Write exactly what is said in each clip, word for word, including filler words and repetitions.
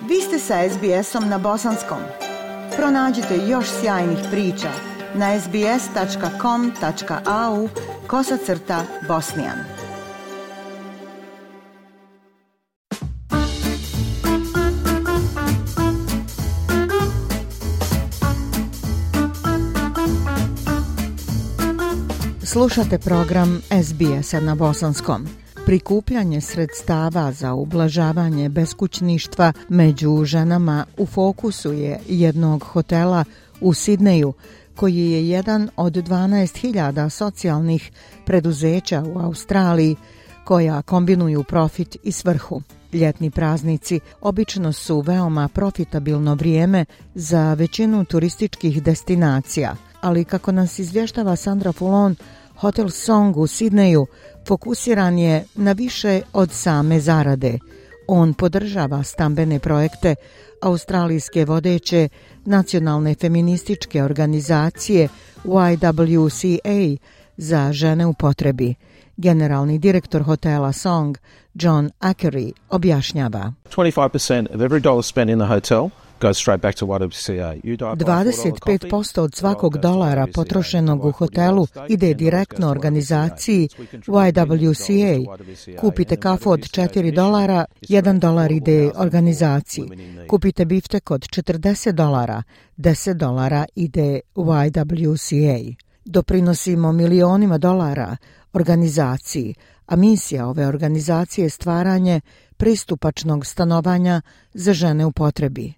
Vi ste sa es bi esom na bosanskom. Pronađite još sjajnih priča na es bi es tačka com tačka a u kosacrta bosnijan. Slušate program es bi esa na bosanskom. Prikupljanje sredstava za ublažavanje beskućništva među ženama u fokusu je jednog hotela u Sidneju, koji je jedan od dvanaest hiljada socijalnih preduzeća u Australiji koja kombinuju profit i svrhu. Ljetni praznici obično su veoma profitabilno vrijeme za većinu turističkih destinacija, ali kako nas izvještava Sandra Fulon, Hotel Song u Sidneju fokusiran je na više od same zarade. On podržava stambene projekte australijske vodeće nacionalne feminističke organizacije Y W C A za žene u potrebi. Generalni direktor hotela Song, John Ackery, objašnjava. twenty-five percent of every dollar spent in the hotel goes straight back to Y W C A. dvadeset pet posto od svakog dolara potrošenog u hotelu ide direktno organizaciji Y W C A. Kupite kafu od četiri dolara, jedan dolar ide organizaciji. Kupite biftek od četrdeset dolara, deset dolara ide Y W C A. Doprinosimo milionima dolara organizaciji, a misija ove organizacije je stvaranje pristupačnog stanovanja za žene u potrebi.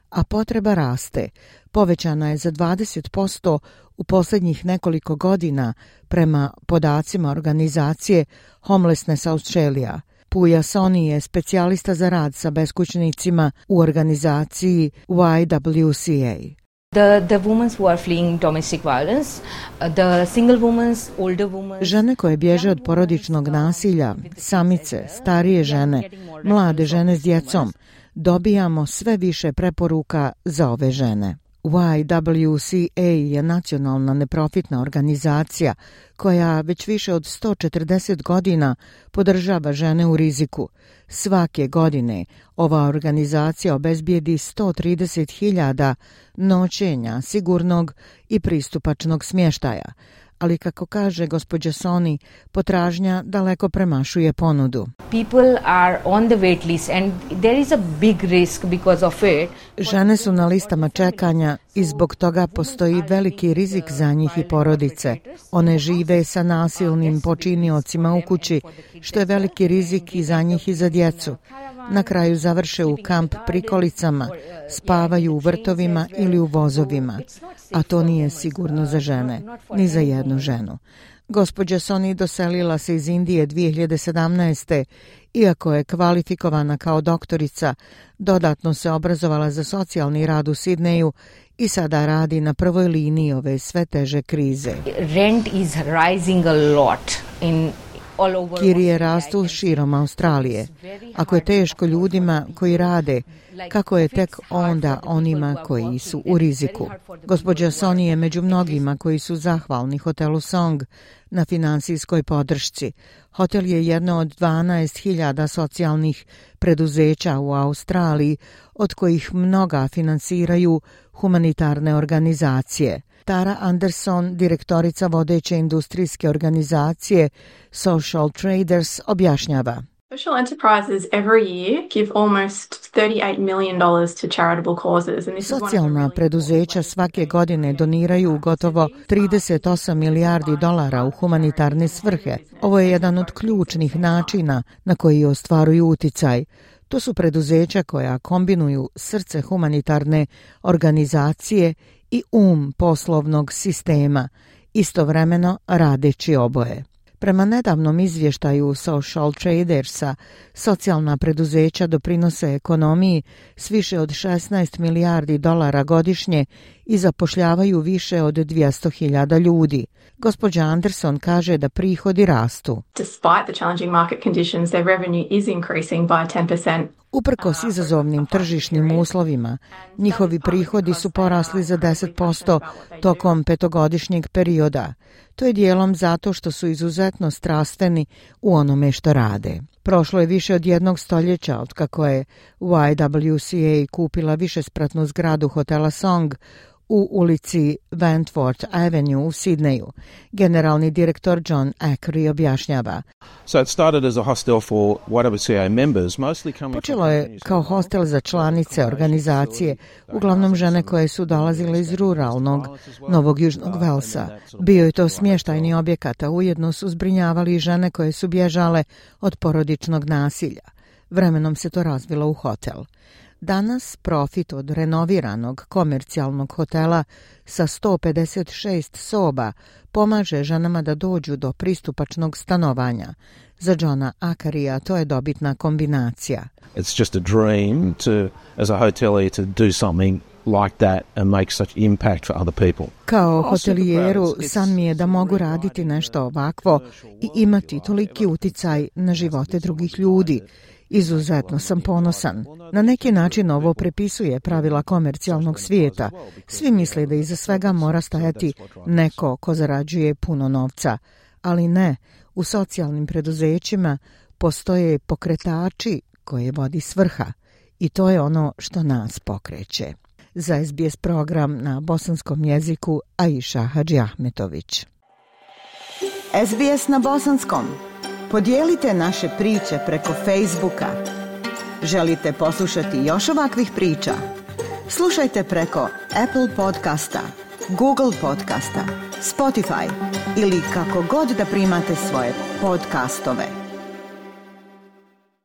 A potreba raste. Povećana je za dvadeset posto u posljednjih nekoliko godina prema podacima organizacije Homelessness Australia. Puja Soni je specijalista za rad sa beskućnicima u organizaciji Y W C A. The, the women who are fleeing domestic violence, the single women, older women. Žene koje bježe od porodičnog nasilja, samice, starije žene, mlade žene s djecom, dobijamo sve više preporuka za ove žene. Y W C A je nacionalna neprofitna organizacija koja već više od sto četrdeset godina podržava žene u riziku. Svake godine ova organizacija obezbijedi sto trideset hiljada noćenja sigurnog i pristupačnog smještaja. Ali kako kaže gospođa Soni, potražnja daleko premašuje ponudu. People are on the wait list and there is a big risk because of it. Žene su na listama čekanja i zbog toga postoji veliki rizik za njih i porodice. One žive sa nasilnim počiniocima u kući, što je veliki rizik i za njih i za djecu. Na kraju završe u kamp prikolicama, spavaju u vrtovima ili u vozovima, a to nije sigurno za žene, ni za jednu ženu. Gospođa Soni doselila se iz Indije dvije hiljade sedamnaeste. Iako je kvalifikovana kao doktorica, dodatno se obrazovala za socijalni rad u Sidneju i sada radi na prvoj liniji ove sve teže krize. Rent is rising a lot in Kirije rastu širom Australije. Ako je teško ljudima koji rade, kako je tek onda onima koji su u riziku. Gospođa Soni je među mnogima koji su zahvalni hotelu Song na finansijskoj podršci. Hotel je jedno od dvanaest hiljada socijalnih preduzeća u Australiji, od kojih mnoga finansiraju humanitarne organizacije. Tara Anderson, direktorica vodeće industrijske organizacije Social Traders, objašnjava. Social enterprises every year give almost thirty-eight million dollars to charitable causes. And this Socijalna preduzeća svake godine doniraju gotovo trideset osam milijardi dolara u humanitarne svrhe. Ovo je jedan od ključnih načina na koji ostvaruju uticaj. To su preduzeća koja kombinuju srce humanitarne organizacije i um poslovnog sistema, istovremeno radeći oboje. Prema nedavnom izvještaju Social Tradersa, socijalna preduzeća doprinose ekonomiji s više od šesnaest milijardi dolara godišnje i zapošljavaju više od dvjesto hiljada ljudi. Gospođa Anderson kaže da prihodi rastu. Despite the challenging market conditions, their revenue is increasing by ten percent. Uprkos izazovnim tržišnim uslovima, njihovi prihodi su porasli za deset posto tokom petogodišnjeg perioda. To je dijelom zato što su izuzetno strastveni u onome što rade. Prošlo je više od jednog stoljeća od kako je Y W C A kupila višespratnu zgradu hotela Song u ulici Wentworth Avenue u Sidneju. Generalni direktor John Ackery objašnjava. So it started as a hostel for Y W C A members, mostly coming Počelo je kao hostel za članice organizacije, uglavnom žene koje su dolazile iz ruralnog Novog Južnog Velsa. Bio je to smještajni objekat, a ujedno su zbrinjavali i žene koje su bježale od porodičnog nasilja. Vremenom se to razvilo u hotel. Danas profit od renoviranog komercijalnog hotela sa sto pedeset šest soba pomaže ženama da dođu do pristupačnog stanovanja. Za Johna Ackeryja to je dobitna kombinacija. It's just a dream to, as a hotelier, to do something like that and make such impact for other people. Kao hotelijeru san mi je da mogu raditi nešto ovakvo i imati toliki uticaj na živote drugih ljudi. Izuzetno sam ponosan. Na neki način ovo prepisuje pravila komercijalnog svijeta. Svi misle da iza svega mora stajati neko ko zarađuje puno novca. Ali ne, u socijalnim preduzećima postoje pokretači koje vodi svrha. I to je ono što nas pokreće. Za S B S program na bosanskom jeziku Aisha Hadžiahmetović. S B S na bosanskom. Podijelite naše priče preko Facebooka. Želite poslušati još ovakvih priča? Slušajte preko Apple podcasta, Google podcasta, Spotify ili kako god da primate svoje podcastove.